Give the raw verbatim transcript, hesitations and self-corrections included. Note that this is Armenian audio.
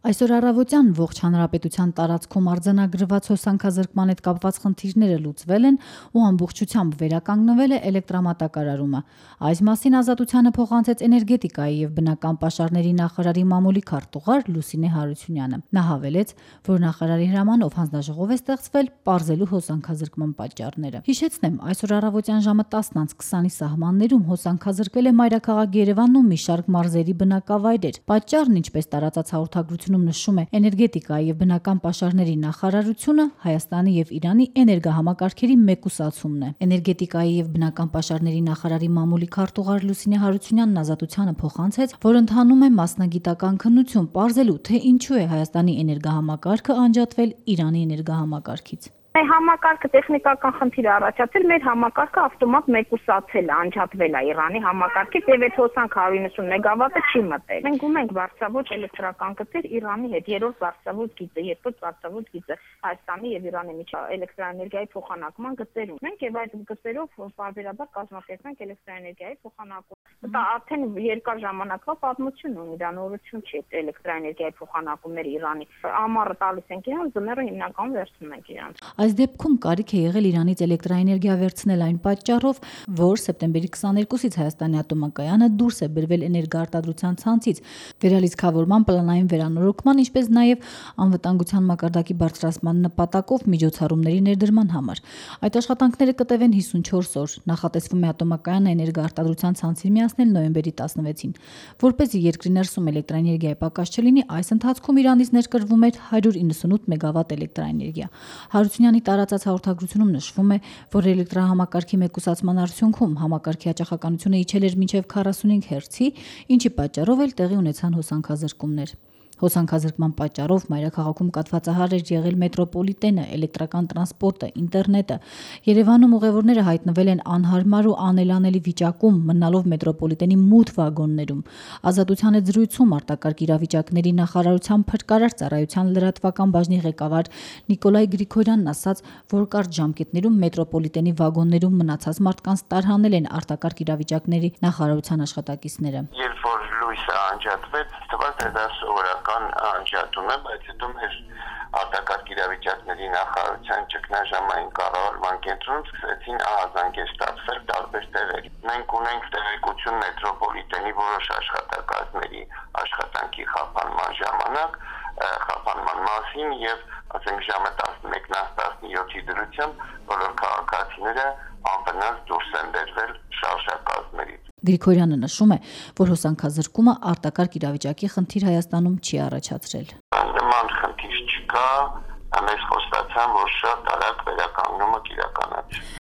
Այսօր առավոտյան ողջ հանրապետության տարածքում արձանագրված հոսանքազրկման հետ կապված խնդիրները լուծվել են ու ամբողջությամբ վերականգնվել է էլեկտրամատակարարումը։ Այս մասին Ազատությանը փոխանցեց էներգետիկայի և բնական պաշարների նախարարի մամուլի քարտուղար Լուսինե Հարությունյանը։ Նա հավելեց, որ նախարարի հրամանով հանձնաժողով է ստեղծվել պարզելու հոսանքազրկման պատճառները։ Հիշեցնեմ, այսօր առավոտյան ժամը տասն անց քսանի սահմաններում հոսանքազրկվել է մայրաքաղաք Երևանում մի շարք մարզերի բնակավայրեր։ Պատճառն, ինչպես տարածած հաղորդագրությունում նշում է էներգետիկայի և բնական պաշարների նախարարությունը, Հայաստանի և Իրանի էներգահամակարգերի մեկուսացումն է։ Էներգետիկայի և բնական պաշարների նախարարի մամուլի քարտուղար Լուսինե Հարությունյանն Ազատությանը փոխանցեց, որ ընթանում է մասնագիտական քննություն պարզելու, թե ինչու է Հայաստանի էներգահամակարգը անջատվել Իրանի էներգահամակարգից։ Համակարգը տեխնիկական խնդիր է առաջացել, մեր համակարգը ավտոմատ մեկուսացել է, անջատվել է Իրանի համակարգից եւ այդ հոսանք հարյուր իննսուն մեգավատը չի մտել։ Մենք ունենք բարձրավոճ էլեկտրական գծեր Իրանի հետ, երրորդ բարձրավոճ գիծը, երկրորդ բարձրավոճ գիծը Հայաստանի եւ Իրանի միջև էլեկտրաէներգիայի փոխանակման գծեր ունենք եւ այդ գծերով պարբերաբար կազմակերպենք էլեկտրաէներգիայի փոխանակում։ Դա արդեն երկար ժամանակվա պատմություն ունի, դա նորություն չի էլեկտրաէներգիայի փոխանակումները Իրանի։ Ամառը տալիս ենք իրան, ձմեռը հիմնականում վերցնում ենք իրան։ Այս դեպքում կարիք է եղել Իրանից էլեկտրաէներգիա վերցնել այն պատճառով, որ սեպտեմբերի քսաներկուսից Հայաստանի ատոմակայանը դուրս է բերվել էներգոարտադրության ցանցից վերալիցքավորման պլանային վերանորոգման, ինչպես նաև անվտանգության մակարդակի բարձրացման նպատակով միջոցառումների ներդրման համար։ Այդ աշխատանքները կտևեն հիսունչորս օր։ Նախատեսվում է ատոմակայանը էներգոարտադրության ցանցին միացնել նոյեմբերի տասնվեցին։ Որպեսզի երկրի ներսում էլեկտրաէներգիայի պակաս չլինի, այս ընթացքում Իրանից ներկրվում էր հարյուր իննսունութ մեգավատ էլեկտրաէներգիա։ Հարությունյանի տարածած հաղորդագրությունում նշվում է, որ էլեկտրահամակարգի մեկուսացման արդյունքում համակարգի հաճախականությունը իջել էր մինչև քառասունհինգ հերցի, ինչի պատճառով էլ տեղի ունեցան հոսանքազրկումներ։ Հոսանքազրկման պատճառով մայրաքաղաքում կաթվածահար էր եղել մետրոպոլիտենը, էլեկտրական տրանսպորտը, ինտերնետը։ Երևանում ուղևորները հայտնվել են անհարմար ու անելանելի վիճակում, մնալով մետրոպոլիտենի մութ վագոններում։ Ազատության հետ զրույցում արտակարգ իրավիճակների նախարարության փրկարար ծառայության լրատվական բաժնի ղեկավար Նիկոլայ Գրիգորյանն ասաց, որ կարճ ժամկետներում մետրոպոլիտենի վագոններում մնացած մարդկանց տարհանել են արտակարգ իրավիճակների նախարարության աշխատակիցները։ Երբ որ լույսը անջատվեց, թվաց թե դա սովորական անջատում է, բայց հետո մեր արտակարգ իրավիճակների նախարարության ճգնաժամային կառավարման կենտրոնում սկսեցին ահազանգեր ստացվել տարբեր տեղերի։ Մենք ունենք տեղեկություն մետրոպոլիտենի որոշ աշխատակազմերի աշխատանքի խափանման ժամանակ, խափանման մասին եւ ասենք ժամը տասնմեկից տասնյոթի դրությամբ բոլոր քաղաքացիները անվնաս դուրս են բերվել շարժակազմերից։ Գրիգորյանը նշում է, որ հոսանքազրկումը արտակարգ իրավիճակի խնդիր Հայաստանում չի առաջացրել։ Նման խնդիր չկա, մեզ խոստացան, որ շատ արագ վերականգնումը կիրականացվի։